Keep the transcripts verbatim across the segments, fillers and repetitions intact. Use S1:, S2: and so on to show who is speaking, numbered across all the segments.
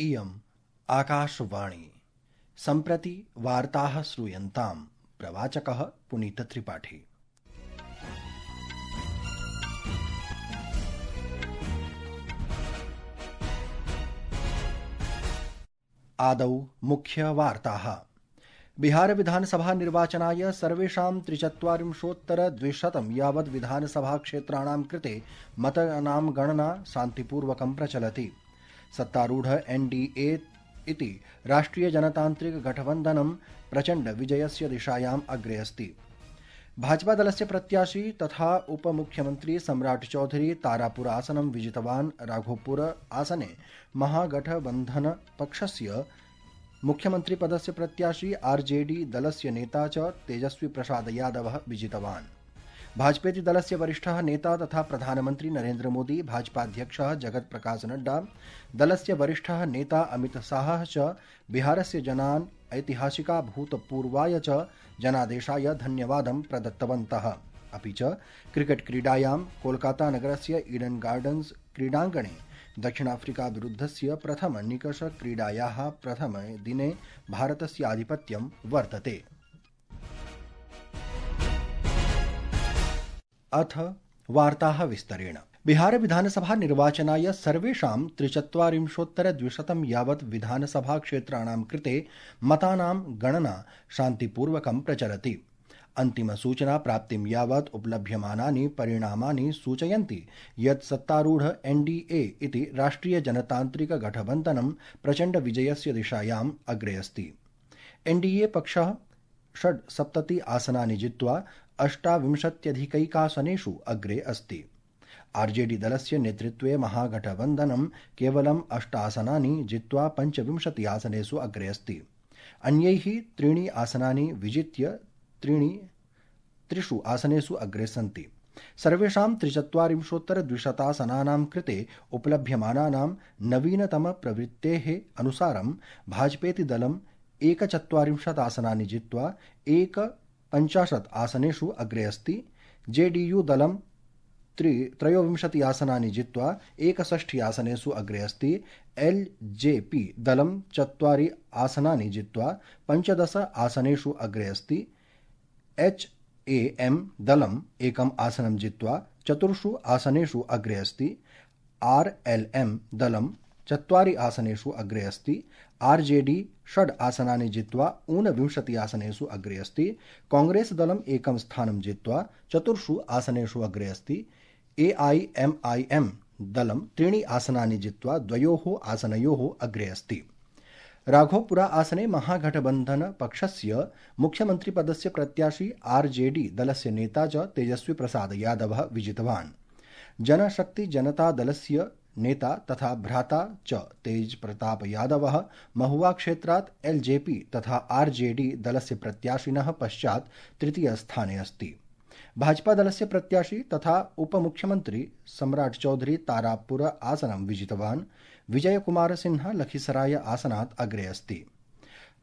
S1: इयम् आकाशवाणी। सम्प्रति वार्ताः श्रूयन्ताम्। प्रवाचकः पुनीतत्रिपाठी। आदौ मुख्यवार्ताः। बिहार विधानसभा निर्वाचनाय सर्वेषां त्रिचत्वारिंशोत्तर द्विशतं यावत् विधानसभा क्षेत्राणां कृते मतदानां गणना शान्तिपूर्वकं प्रचलति। सत्तारूढ़ एनडीए इति राष्ट्रिय जनतांत्रिक गठबन्धनं प्रचण्ड विजयस्य दिशायाम् अग्रे अस्ति। भाजपा दलस्य प्रत्याशी तथा उपमुख्यमंत्री सम्राट चौधरी तारापुर आसनं विजितवान्। राघोपुर आसने महागठबन्धन पक्षस्य मुख्यमंत्री पदस्य प्रत्याशी आरजेडी दलस्य नेता च तेजस्वी प्रसाद यादवः विजितवान्। भाजपेति दलस्य वरिष्ठः नेता तथा प्रधानमंत्री नरेंद्र मोदी, भाजपाध्यक्षः जगत प्रकाश नड्डा, दलस्य वरिष्ठः नेता अमित शाहः च बिहारस्य जनान् ऐतिहासिका भूतपूर्वाय च जनादेशाय धन्यवादं प्रदत्तवन्तः। अपि च क्रिकेट क्रीडायां कोलकाता नगरस्य ईडन गार्डन्स क्रीडाङ्गणे दक्षिणाफ्रिका विरुद्धस्य प्रथम निकष क्रीडायाः प्रथमे दिने भारतस्य आधिपत्यं वर्तते। अथ वार्ताः विस्तरेण। बिहार विधानसभा निर्वाचनाय सर्वेषां त्रिचत्वारिंशोत्तर द्विशतं यावत् विधानसभा क्षेत्राणां कृते मतानां गणना शान्तिपूर्वकं प्रचलति। अन्तिम सूचना प्राप्तिं यावत् उपलभ्यमानानि परिणामानि सूचयन्ति यत् सत्तारूढ़ एनडीए इति राष्ट्रिय जनतांत्रिक गठबन्धनं प्रचण्ड विजयस्य दिशायाम् अग्रे अस्ति। एनडीए पक्षः षड्सप्तति आसनानि जित्वा अष्टाविंशत्यधिकैकासनेषु अग्रे अस्ति। आरजेडी दलस्य नेतृत्वे महागठबन्धनं केवलम् अष्ट आसनानि जित्वा पञ्चविंशति आसनेषु अग्रे अस्ति। अन्यैः त्रीणि आसनानि विजित्य त्रीणि त्रिषु आसनेषु अग्रे सन्ति। सर्वेषां त्रिचत्वारिंशोत्तर द्विशतासनानां कृते उपलभ्यमानानां नवीनतम प्रवृत्तेः अनुसारं भाजपेति दलम् एकचत्वारिंशत् आसनानि जित्वा एक पञ्चाशत् आसनेषु अग्रे अस्ति। जेडीयू दलं त्रि त्रयोविंशति आसनानि जित्वा एकषष्टि आसनेषु अग्रे अस्ति। एलजेपी दलं चत्वारि आसनानि जित्वा पञ्चदश आसनेषु अग्रे अस्ति। एचएएम दलम् एकम् आसनं जित्वा चतुर्षु आसनेषु अग्रे अस्ति। आरएलएम दलं चत्वारि आसनेषु अग्रे अस्ति। आरजेडी षड् आसनानि जित्वा ऊनविंशति आसनेषु अग्रे अस्ति। कांग्रेस दलम् एकं स्थानं जित्वा चतुर्षु आसनेषु अग्रे अस्ति। एआईएमआईएम दलं त्रीणि आसनानि जित्वा द्वयोः आसनयोः अग्रे अस्ति। राघोपुरा आसने महागठबन्धन पक्षस्य मुख्यमंत्री पदस्य प्रत्याशी आरजेडी दलस्य नेता च तेजस्वी प्रसाद यादवः विजितवान्। जनशक्ति जनता दलस्य नेता तथा भ्राता च तेज प्रताप यादवः महुआ क्षेत्रात् एलजेपी तथा आरजेडी दलस्य प्रत्याशिनः पश्चात् तृतीय स्थाने अस्ति। भाजपा दलस्य प्रत्याशी तथा उपमुख्यमंत्री सम्राट चौधरी तारापुर आसनं विजितवान्। विजय कुमार सिन्हा लखीसराय आसनात् अग्रे अस्ति।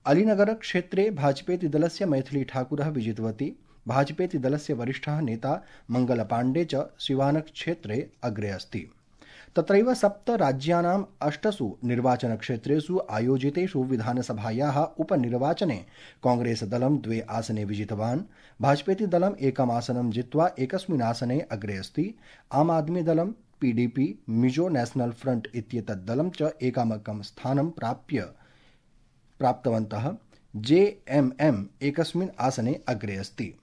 S1: अलीनगर क्षेत्रे भाजपेति दलस्य मैथिली ठाकुरः विजितवती। भाजपेति दलस्य वरिष्ठः नेता मंगल पांडे च सिवान क्षेत्रे अग्रे अस्ति। तत्रैव सप्त राज्यानाम् अष्टसु निर्वाचनक्षेत्रेषु आयोजितेषु विधानसभायाः उपनिर्वाचने कांग्रेस दलं द्वे आसने विजितवान्। भाजपेति दलम् एकम् आसनं जित्वा एकस्मिन् आसने अग्रे अस्ति। आम आदमी दलं, पीडीपी, मिजो नेशनल फ्रंट इत्येतत् दलं च एकमेकं स्थानं प्राप्य प्राप्तवन्तः। जेएमएम एकस्मिन् आसने अग्रे अस्ति।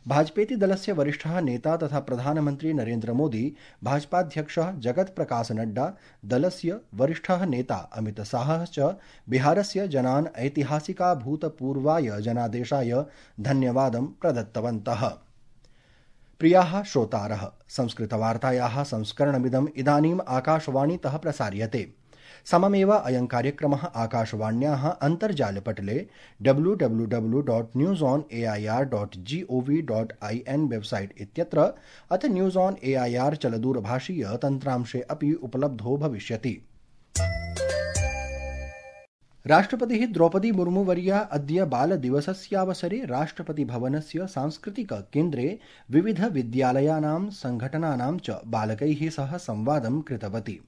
S1: भाजपेति दलस्य वरिष्ठः नेता तथा प्रधानमंत्री नरेंद्र मोदी, भाजपाध्यक्षः जगत प्रकाश नड्डा, दलस्य वरिष्ठः नेता अमित शाहः च बिहारस्य जनान् ऐतिहासिका भूतपूर्वाय जनादेशाय धन्यवादं प्रदत्तवन्तः। प्रियाः श्रोतारः, संस्कृतवार्तायाः संस्करणमिदम् इदानीम् आकाशवाणीतः प्रसार्यते। सममेव अयं कार्यक्रमः आकाशवाण्याः अन्तर्जालपटले W W W dot news on A I R dot G O V dot I N website इत्यत्र अथ news on A I R चलदूरभाषीय तन्त्रांशे अपि उपलब्धो भविष्यति। राष्ट्रपतिः द्रौपदी मुर्मू वर्या अद्य बालदिवसस्यावसरे राष्ट्रपतिभवनस्य सांस्कृतिक केन्द्रे विविध विद्यालयानां संघटनानां च बालकैः सह संवादं कृतवती।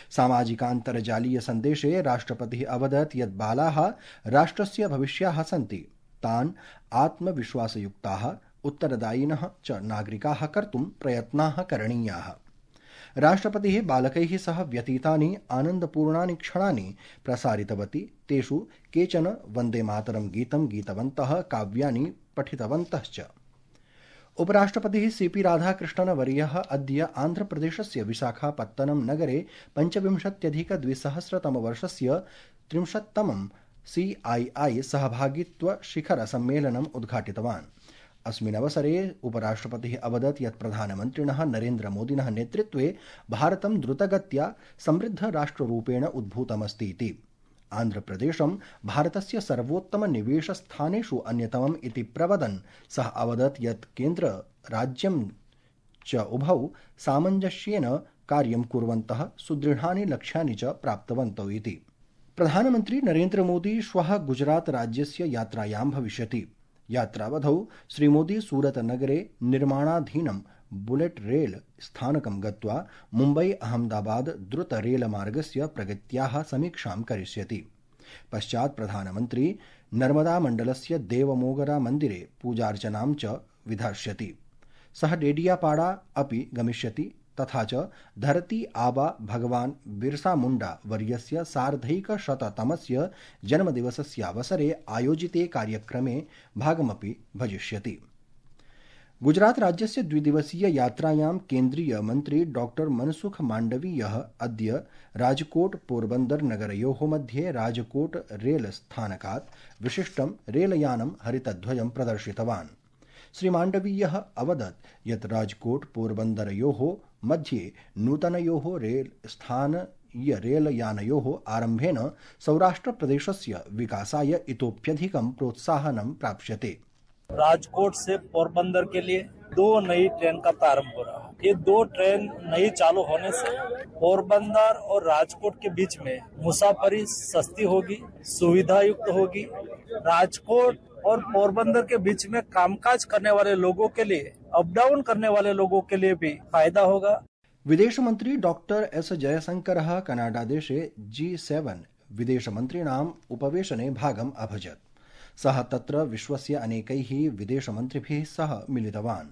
S1: सामाजिकान्तर्जालीय सन्देशे राष्ट्रपतिः अवदत् यत् बालाः राष्ट्रस्य भविष्याः सन्ति, तान् आत्मविश्वासयुक्ताः उत्तरदायिनः च नागरिकाः कर्तुं प्रयत्नाः करणीयाः। राष्ट्रपतिः बालकैः सह व्यतीतानि आनन्दपूर्णानि क्षणानि प्रसारितवती। तेषु केचन वन्दे मातरं गीतं गीतवन्तः, काव्यानि पठितवन्तश्च। उपराष्ट्रपतिः सीपी राधाकृष्णन् वर्यः अद्य आन्ध्रप्रदेशस्य विशाखापत्तनम नगरे पञ्चविंशत्यधिकद्विसहस्रतमवर्षस्य त्रिंशत्तमं सीआईआई सहभागित्व शिखर सम्मेलनम् उद्घाटितवान्। अस्मिन्नवसरे उपराष्ट्रपतिः अवदत् यत् प्रधानमन्त्रिणः नरेन्द्रमोदिनः नेतृत्वे भारतं द्रुतगत्या समृद्धराष्ट्ररूपेण उद्भूतमस्ति इति। आन्ध्रप्रदेशं भारतस्य सर्वोत्तमनिवेशस्थानेषु अन्यतमम् इति प्रवदन् सः अवदत् यत् केन्द्रराज्यं च उभौ सामञ्जस्येन कार्यं कुर्वन्तः सुदृढानि लक्ष्यानि च प्राप्तवन्तौ इति। प्रधानमन्त्री नरेन्द्रमोदी श्वः गुजरात राज्यस्य यात्रायां भविष्यति। यात्रावधौ श्रीमोदी सूरतनगरे निर्माणाधीनं बुलेट रेल स्थानकं गत्वा मुम्बई अहमदाबाद द्रुत रेलमार्गस्य प्रगत्याः समीक्षां करिष्यति। पश्चात् प्रधानमन्त्री नर्मदामण्डलस्य देवमोगरा मन्दिरे पूजार्चनां च विधास्यति। सः डेडियापाड़ा अपि गमिष्यति। तथा च धरती आबा भगवान् बिरसा मुण्डा वर्यस्य सार्धैकशततमस्य जन्मदिवसस्यावसरे आयोजिते कार्यक्रमे भागमपि भजिष्यति। गुजरात राज्यस्य द्विदिवसीय यात्रायां केन्द्रीय मन्त्री डॉक्टर मनसुख माण्डवीयः अद्य राजकोट पोरबन्दर नगरयोः मध्ये राजकोट रेल स्थानकात् विशिष्टं रेलयानं हरितध्वजं प्रदर्शितवान्। श्री माण्डवीयः अवदत् यत् राजकोट पोरबन्दरयोः मध्ये नूतनयोः रेल स्थानीय रेलयानयोः आरम्भेन सौराष्ट्रप्रदेशस्य विकासाय इतोप्यधिकं प्रोत्साहनं प्राप्स्यते।
S2: राजकोट से पोरबंदर के लिए दो नई ट्रेन का प्रारंभ हो रहा है। ये दो ट्रेन नई चालू होने से पोरबंदर और राजकोट के बीच में मुसाफरी सस्ती होगी, सुविधा युक्त होगी। राजकोट और पोरबंदर के बीच में कामकाज करने वाले लोगों के लिए, अप डाउन करने वाले लोगों के लिए भी फायदा होगा।
S1: विदेश मंत्री डॉक्टर एस जयशंकरः कनाडा देशे जी सेवन विदेशमन्त्रिणाम् उपवेशने भागम् अभजत्। सः तत्र विश्वस्य अनेकैः विदेशमन्त्रिभिः सह मिलितवान्।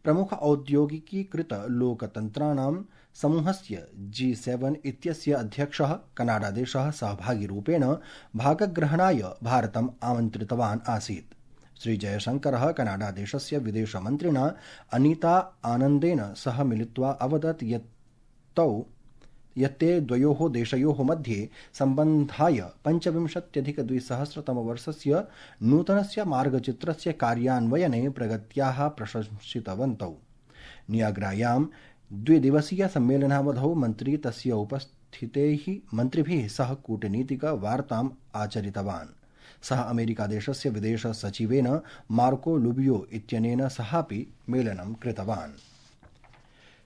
S1: प्रमुख औद्योगिकीकृत लोकतन्त्राणां समूहस्य जी सेवन इत्यस्य अध्यक्षः कनाडादेशः सहभागिरूपेण भागग्रहणाय भारतम् आमन्त्रितवान् आसीत्। श्री जयशंकरः कनाडादेशस्य विदेशमन्त्रिणा अनीता आनन्देन सह मिलित्वा अवदत् यत् तौ यत्ते द्वयोः देशयोः मध्ये सम्बन्धाय पञ्चविंशत्यधिकद्विसहस्रतमवर्षस्य नूतनस्य मार्गचित्रस्य कार्यान्वयने प्रगत्याः प्रशंसितवन्तौ। नियाग्रायां द्विदिवसीय सम्मेलनावधौ मन्त्री तस्य उपस्थितैः मन्त्रिभिः सह कूटनीतिक वार्ताम् आचरितवान्। सः अमेरिकादेशस्य विदेश सचिवेन मार्को लुबियो इत्यनेन सहापि मेलनं कृतवान्।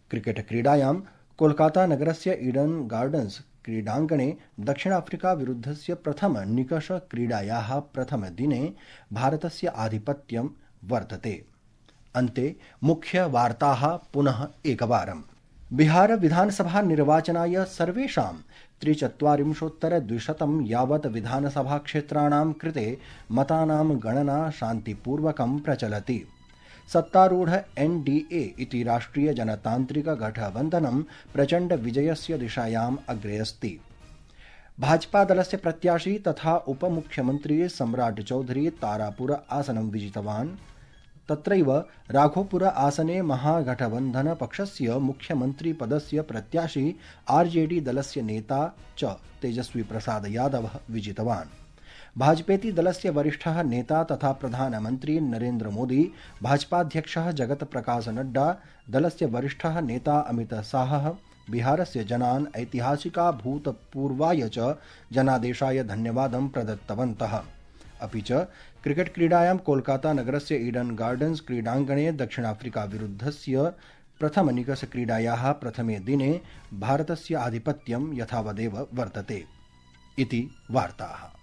S1: क्रिकेट क्रीडायां कोलकाता नगरस्य ईडन गार्डन्स क्रीडाङ्गणे दक्षिणाफ्रिका विरुद्धस्य प्रथम निकष क्रीडायाः प्रथमदिने भारतस्य आधिपत्यं वर्तते। अन्ते मुख्य वार्ताः पुनः एकवारम्। बिहार विधानसभा निर्वाचनाय सर्वेषां त्रिचत्वारिंशोत्तर द्विशतं यावत् विधानसभा क्षेत्राणां कृते मतानां गणना शान्तिपूर्वकं प्रचलति। सत्तारूढ़ एनडीए इति राष्ट्रिय जनतांत्रिक गठबन्धनं प्रचण्ड विजयस्य दिशायाम् अग्रे अस्ति। भाजपा दलस्य प्रत्याशी तथा उपमुख्यमन्त्री सम्राट चौधरी तारापुर आसनं विजितवान्। तत्रैव राघोपुर आसने महागठबन्धन पक्षस्य मुख्यमन्त्री पदस्य प्रत्याशी आरजेडी दलस्य नेता च तेजस्वी प्रसाद यादवः विजितवान्। भाजपेति दलस्य वरिष्ठः नेता तथा प्रधानमन्त्री नरेन्द्र मोदी, भाजपाध्यक्षः जगत प्रकाश नड्डा, दलस्य वरिष्ठः नेता अमित शाहः बिहारस्य जनान् ऐतिहासिकाभूतपूर्वाय च जनादेशाय धन्यवादं प्रदत्तवन्तः। अपि च क्रिकेट क्रीडायां कोलकाता नगरस्य ईडन गार्डन्स क्रीडाङ्गणे दक्षिणाफ्रिका विरुद्धस्य प्रथमनिकष क्रीडायाः प्रथमे दिने भारतस्य आधिपत्यं यथावदेव वर्तते इति वार्ताः।